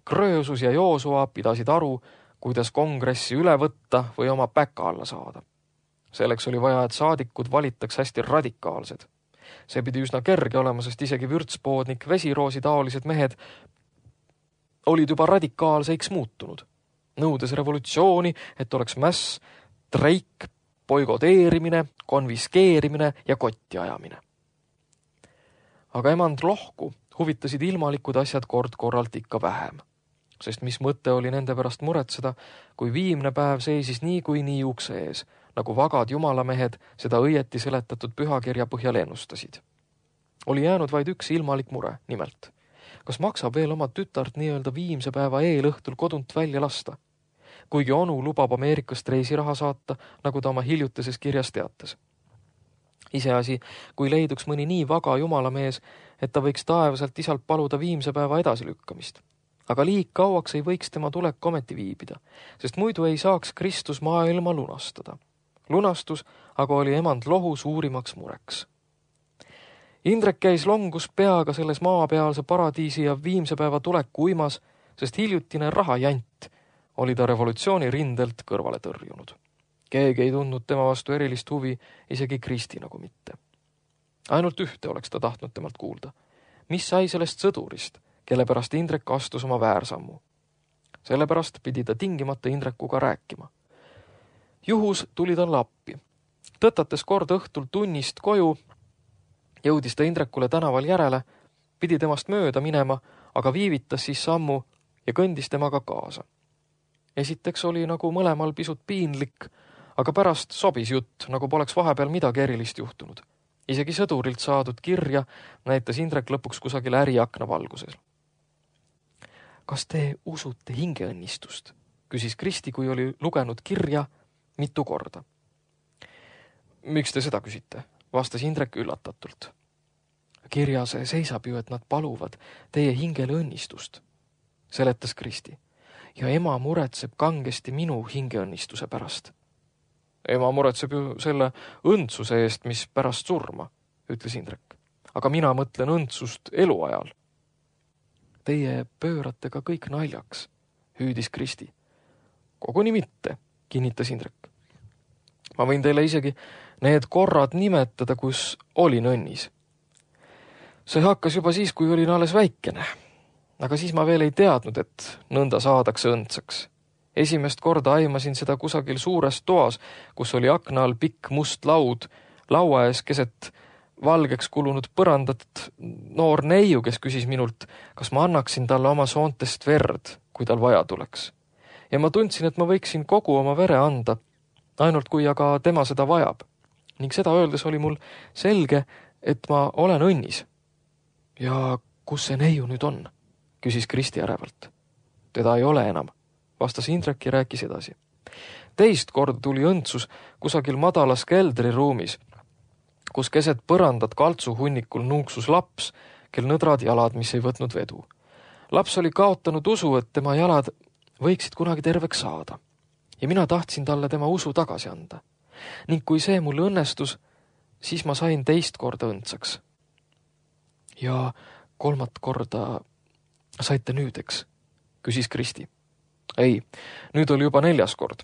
Kröösus ja Joosua pidasid aru, kuidas kongressi üle võtta või oma päka alla saada. Selleks oli vaja, et saadikud valitaks hästi radikaalsed. See pidi üsna kerge olema, sest isegi vürtspoodnik vesiroosi taolised mehed olid juba radikaalseiks muutunud, nõudes revolutsiooni, et oleks mäss, treik, boikoteerimine, konviskeerimine ja kotti ajamine. Aga emand lohku huvitasid ilmalikud asjad kord korralt ikka vähem, sest mis mõte oli nende pärast muretseda, kui viimne päev seisis nii kui nii ukse ees, nagu vagad jumalamehed seda õieti seletatud pühakirja põhjal ennustasid. Oli jäänud vaid üks ilmalik mure, nimelt. Kas maksab veel oma tütart nii-öelda viimse päeva eelõhtul kodunt välja lasta? Kuigi onu lubab Ameerikast reisiraha saata, nagu ta oma hiljutises kirjas teatas. Iseasi, kui leiduks mõni nii vaga jumalamees, et ta võiks taevaselt isalt paluda viimse päeva edasilükkamist. Aga liig kauaks ei võiks tema tulek ometi viibida, sest muidu ei saaks Kristus maailma lunastada. Lunastus aga oli emand lohu suurimaks mureks. Indrek käis longus peaga selles maapealse paradiisi ja viimse päeva tuleku uimas, sest hiljutine rahajant oli ta revolutsiooni rindelt kõrvale tõrjunud. Keegi ei tundnud tema vastu erilist huvi, isegi Kristi nagu mitte. Ainult ühte oleks ta tahtnud temalt kuulda. Mis sai sellest sõdurist, kelle pärast Indrek astus oma väärsammu? Sellepärast pidi ta tingimata Indrekuga rääkima. Juhus tuli talle appi. Tõtates kord õhtul tunnist koju, jõudis ta Indrekule tänaval järele, pidi temast mööda minema, aga viivitas siis sammu ja kõndis temaga kaasa. Esiteks oli nagu mõlemal pisut piinlik, aga pärast sobis jutt, nagu poleks vahepeal midagi erilist juhtunud. Isegi sõdurilt saadud kirja näitas Indrek lõpuks kusagil äriakna valguses. Kas te usute hingeõnnistust? Küsis Kristi, kui oli lugenud kirja mitu korda. Miks te seda küsite? Vastas Indrek üllatatult. Kirjas seisab ju, et nad paluvad teie hingele õnnistust, seletas Kristi. Ja ema muretseb kangesti minu hingeõnnistuse pärast. Ema muretseb ju selle õndsuse eest, mis pärast surma, ütles Indrek. Aga mina mõtlen õndsust eluajal. Teie pöörate ka kõik naljaks, hüüdis Kristi. Koguni mitte, kinnitas Indrek. Ma võin teile isegi need korrad nimetada, kus olin õnnis. See hakkas juba siis, kui olin alles väikene. Aga siis ma veel ei teadnud, et nõnda saadakse õndsaks. Esimest korda aimasin seda kusagil suures toas, kus oli akna all pikk must laud, laua ees keset valgeks kulunud põrandat noor neiu, kes küsis minult, kas ma annaksin talle oma soontest verd, kui tal vaja tuleks. Ja ma tundsin, et ma võiksin kogu oma vere anda, ainult kui aga tema seda vajab. Ning seda öeldes oli mul selge, et ma olen õnnis. Ja kus see neiu nüüd on? Küsis Kristi ärevalt. Teda ei ole enam, vastas Indrek ja rääkis edasi. Teist korda tuli õndsus kusagil madalas keldriruumis, kus keset põrandat kaltsuhunnikul nuuksus laps, kel nõdrad jalad, mis ei võtnud vedu. Laps oli kaotanud usu, et tema jalad võiksid kunagi terveks saada. Ja mina tahtsin talle tema usu tagasi anda. Ning kui see mul õnnestus, siis ma sain teist korda õndsaks. Ja kolmat korda saite nüüd, eks? Küsis Kristi. Ei, nüüd oli juba neljas kord.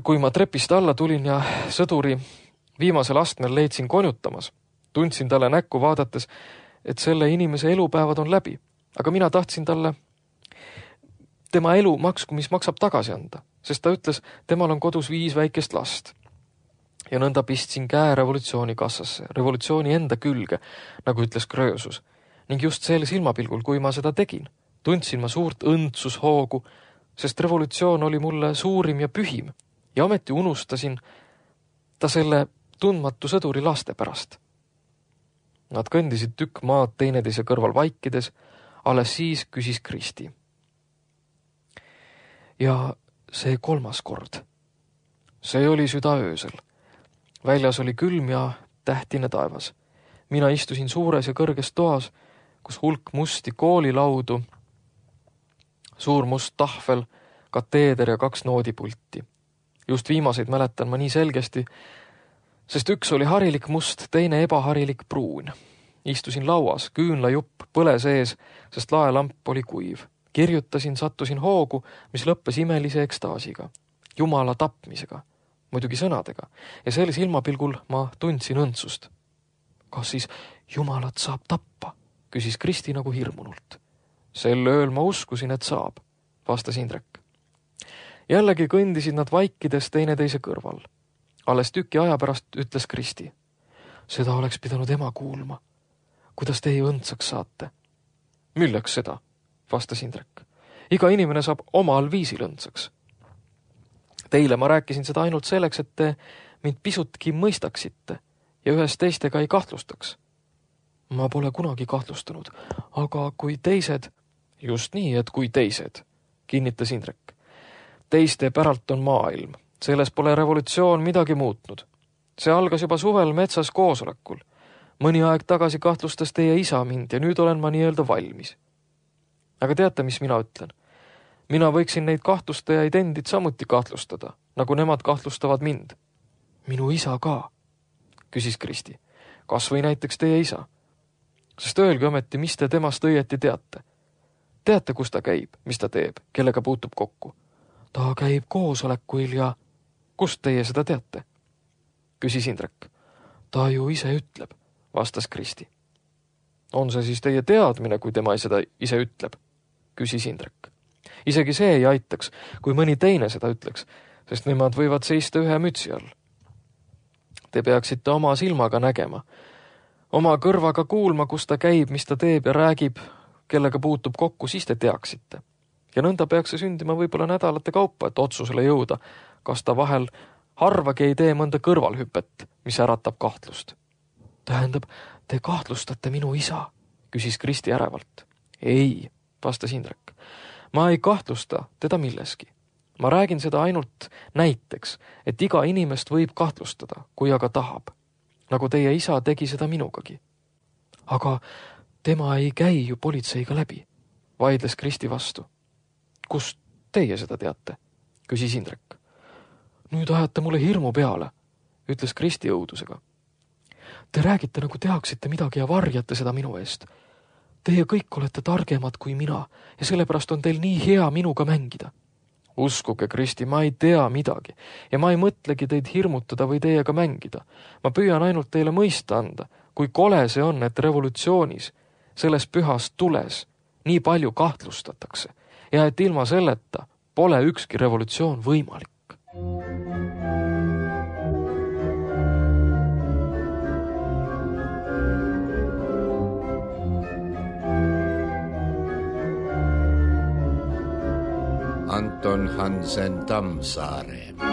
Kui ma trepist alla tulin ja sõduri viimasel astmel leidsin konjutamas, tundsin talle näkku vaadates, et selle inimese elupäevad on läbi, aga mina tahtsin talle tema elu maksku, mis maksab tagasi anda, sest ta ütles, temal on kodus viis väikest last. Ja nõnda pistsin käe revolutsiooni kassasse, revolutsiooni enda külge, nagu ütles Kröösus. Ning just sel silmapilgul, kui ma seda tegin, tundsin ma suurt õndsushoogu, sest revolutsioon oli mulle suurim ja pühim ja ometi unustasin ta selle tundmatu sõduri laste pärast. Nad kõndisid tükk maad teineteise kõrval vaikides, alles siis küsis Kristi. Ja see kolmas kord. See oli südaöösel. Väljas oli külm ja tähtine taevas. Mina istusin suures ja kõrges toas, kus hulk musti koolilaudu, suur must tahvel, kateeder ja kaks noodipulti. Just viimaseid mäletan ma nii selgesti, sest üks oli harilik must, teine ebaharilik pruun. Istusin lauas, küünlajupp põle sees, sest laelamp oli kuiv. Kirjutasin, sattusin hoogu, mis lõppes imelise ekstaasiga, Jumala tapmisega, muidugi sõnadega, ja sel silmapilgul ma tundsin õndsust. Kas siis Jumalat saab tappa? Küsis Kristi nagu hirmunult. Sel ööl ma uskusin, et saab, vastas Indrek. Jällegi kõndisid nad vaikides teineteise kõrval. Alles tüki aja pärast ütles Kristi. Seda oleks pidanud ema kuulma. Kuidas teie õndsaks saate? Milleks seda? Vastas Indrek. Iga inimene saab omal viisil õndsaks. Teile ma rääkisin seda ainult selleks, et te mind pisutki mõistaksite ja ühes teistega ei kahtlustaks. Ma pole kunagi kahtlustanud, aga kui teised, just nii, et kui teised, kinnitas Indrek. Teiste päralt on maailm. Selles pole revolutsioon midagi muutnud. See algas juba suvel metsas koosolekul. Mõni aeg tagasi kahtlustas teie isa mind ja nüüd olen ma nii-öelda valmis. Aga teate, mis mina ütlen? Mina võiksin neid kahtlustajaid endid samuti kahtlustada, nagu nemad kahtlustavad mind. Minu isa ka, küsis Kristi. kas või näiteks teie isa. Sest öelge ometi, mis te temast õieti teate. Teate, kus ta käib, mis ta teeb, kellega puutub kokku? Ta käib koosolekuil ja kust teie seda teate? Küsis Indrek. Ta ju ise ütleb, vastas Kristi. On see siis teie teadmine, kui tema seda ise ütleb? Küsis Indrek. Isegi see ei aitaks, kui mõni teine seda ütleks, sest nemad võivad seista ühe mütsi all. Te peaksite oma silmaga nägema, oma kõrvaga kuulma, kus ta käib, mis ta teeb ja räägib, kellega puutub kokku, siis te teaksite. Ja nõnda peaks see sündima võib-olla nädalate kaupa, et otsusele jõuda, kas ta vahel harvagi ei tee mõnda kõrvalhüpet, mis äratab kahtlust. Tähendab, te kahtlustate minu isa, küsis Kristi ärevalt. Ei, vastas Indrek. Ma ei kahtlusta teda milleski. Ma räägin seda ainult näiteks, et iga inimest võib kahtlustada, kui aga tahab. Nagu teie isa tegi seda minugagi. Aga tema ei käi ju politseiga läbi, vaidles Kristi vastu. Kust teie seda teate? Küsis Indrek. Nüüd ajate mulle hirmu peale, ütles Kristi õudusega. Te räägite, nagu teaksite midagi ja varjate seda minu eest. Teie kõik olete targemad kui mina ja sellepärast on teil nii hea minuga mängida. Uskuge, Kristi, ma ei tea midagi ja ma ei mõtlegi teid hirmutada või teiega mängida. Ma püüan ainult teile mõista anda, kui kole see on, et revolutsioonis, selles pühas tules, nii palju kahtlustatakse ja et ilma selleta pole ükski revolutsioon võimalik.
Anton Hansen Tammsaare.